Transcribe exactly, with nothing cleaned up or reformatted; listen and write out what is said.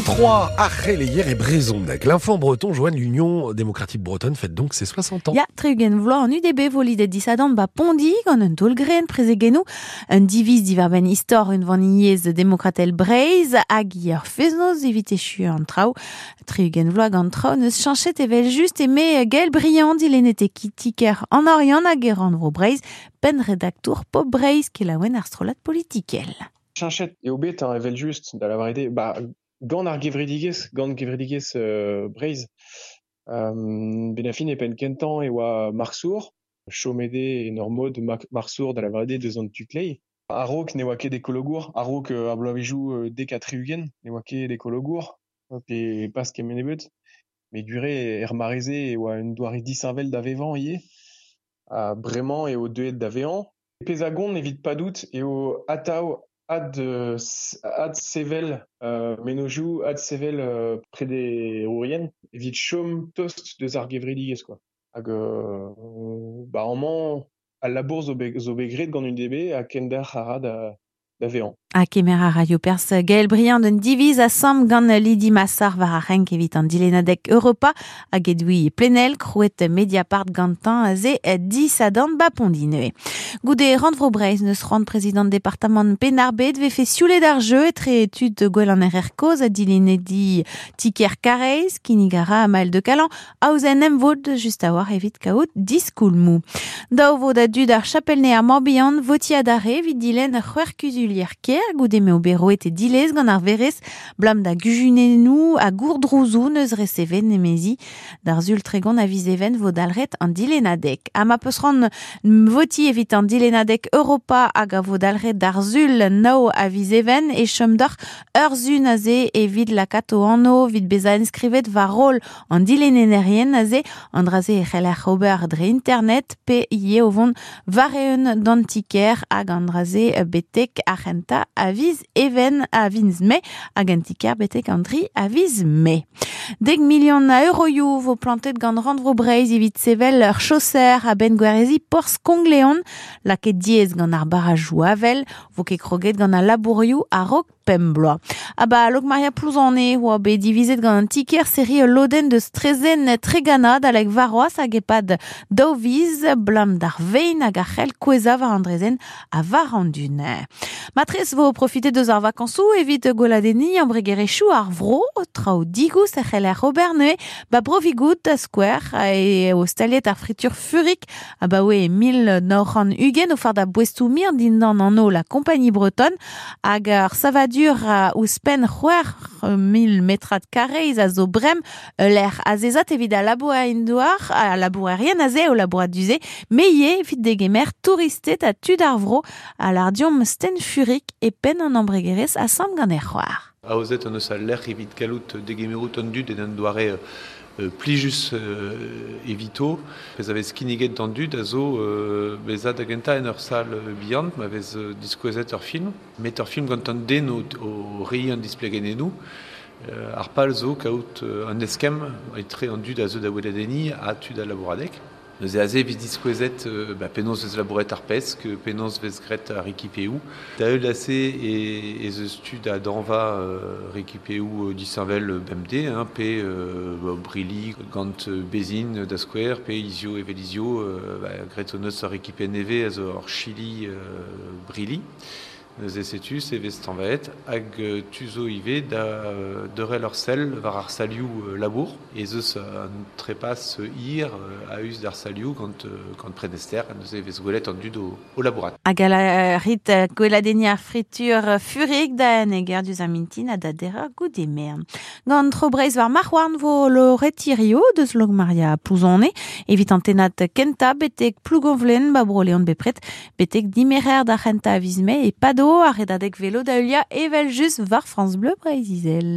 vingt-trois, ar c'heleier e brezhoneg. L'Infant breton joigne l'Union démocratique bretonne fête donc ses soixante ans. Ya, tri-ugent vloaz an U D B vo lidet disadorn ba Pondi gant un taol-grenn prezegennoù, un diviz diwar-benn istor unvaniezh demokratel Breizh hag ur fest-noz evit echu an traoù. Tri-ugent vloaz gant traoù neus chañchet evel just eme Gaël Briand dilennet e kitiker an Oriant hag e rannvro Breizh, penn redaktour Pop Breizh kelaouenn ar strollad politikel. Chañchet eo bet hein, evel just da lavaret eo, ba, gant ar gevredigezh, gant gevredigezh euh, Breizh. Euh, ben a fin e penn kentañ e oa Marsour, chomede en ur mod Marsour da lavaret eo deus an tu-kleiz. A-raok ne oa ket ekologour, a-raok euh, ar bloavezhioù euh, dek ha tri-ugent ne oa ket ekologour, pe pas kement ebet. Met gure er mare-se e oa un doare disheñvel da vevañ ivez. Ha bremañ eo deuet da vezañ. Pezh a gont evit padout eo atav ad, ad sevel euh, menozioù, ad sevel euh, prederourien evit chom tost deus ar gevredigezh quoi. Hag euh, ba amañ al labour zo bet, zo bet graet gant U D B ha kendalc'h a ra da, da vezañ. Ha kemer a raio perzh Gaël Briand un diviz asambl gant Lydie Massard war ar renk evit an dilennadeg Europa hag Edwy Plenel, krouet Mediapart gantañ aze disadorn ba Pondi neuze. Goude rannvro Breizh neus c'hoant prezidant departamant Penn-ar-Bed vefe sioulet ar jeu etre tud gwell an R R kozh ha dilennedi Tiker Karaez, kinnig a ra Maël de Calan, aozenn emvod just a-walc'h evit kaout diskoulmoù. Daou vo da dud ar Chapel-Nez ar Morbihan voti adarre evit dilenn c'hwec'h kuzulier kêr goude m'eo bet roet e dilez gant ar verez blam da gujunennoù ha gourdrouzoù neus resevet nemezi d'ar sul tregont a viz even vo dalc'het an dilennadeg. Ha ma peus c'hoant voti evit an dilennadeg Europa hag a vo dalc'het d'ar sul nav a viz even e chom deoc'h ur sun aze evit lakaat o anv evit bezañ enskrivet war roll an dilennerien aze an dra-se e c'heller ober dre internet pe ivez o vont war-eeun d'an ti-kêr hag an dra-se betek ar c'hentañ a viz even a viz mae hag an ti-kêr betek an tri a viz mae. Dek milion a euroioù vo plantet gant rannvro Breizh evit sevel ur chaoser a-benn gwerezi porzh Kongleon, lakaet diaes gant ar barrajoù avel, vo ket kroget gant al labourioù a-raok pemp bloaz. Ha ba Lokmaria Plouzane oa bet divizet gant an ti-kêr serriñ ul lodenn deus trezenn Tregana adalek warc'hoazh hag e-pad daou viz blam d'ar vein hag ar c'hell kouezhañ war an drezenn ha war an dun. Matrez vo profitet deus ar vakañsoù evit gweladenniñ embregerezhioù ar vro, traoù digoust e c'heller ober neuze, ba Brovigout da skouer e o staliet ar fritur Furik abaoe mil nav c'hant ugent o fardañ boestoù mir dindan anv la Compagnie Bretonne hag ar savadur ouzhpenn c'hwec'h mil metrad karrez a zo brem lec'h azezat evit al labourerien-douar, al labourerien aze o labourat du-se, met ivez evit degemer touristed ha tud ar vro a lardiom Sten Furik e penn an embregerezh asambl gant e c'hoar. Aozet an eus al lec'h evit gallout degemerout an dud en un doare euh, plijus euh, evito. Pezh a vez kinniget d'an dud a zo euh, bezañ da gentañ en ur sal bihan, ma vez diskouezet ur film, met ur film gant an den o, o reiñ an displegenennoù. Euh, ar pal zo kaout euh, an eskemm etre an dud a zo da weladenniñ ha tud a labouradeg. Neuze aze evit diskouezet euh, ba, penaos vez labouret ar pesk, penaos vez graet ar rekipeoù. Da heul ase e, ez eus tud a dañva euh, rekipeoù disheñvel bemdez, hein, pe euh, ba, brilli gant bezhin da skouer, pe izio evel izio, euh, ba, graet hon eus ar rekipe nevez a zo ur chili euh, brilli. Neuze setu, se vez tañvaet hag tu zo ivez da deurel ur sell war ar salioù labour. Ez eus un trepas hir a-us d'ar salioù gant, gant prenester, neuze vez gwelet an dud o, o labourat. Hag a la rit gweladenniñ ar fritur Furik da neger diouzh ar mintin ha da derer goude mern. Gant tro Breizh war marc'hhouarn vo lo retirio deus Lokmaria Plouzane evit an tennad kentañ betek Plougonvlen ba Bro-Leon bepred betek dimerer d'ar c'hentañ a viz mae e pado ar redadeg velo da heuliañ evel just war France Bleu Breizh-Izel.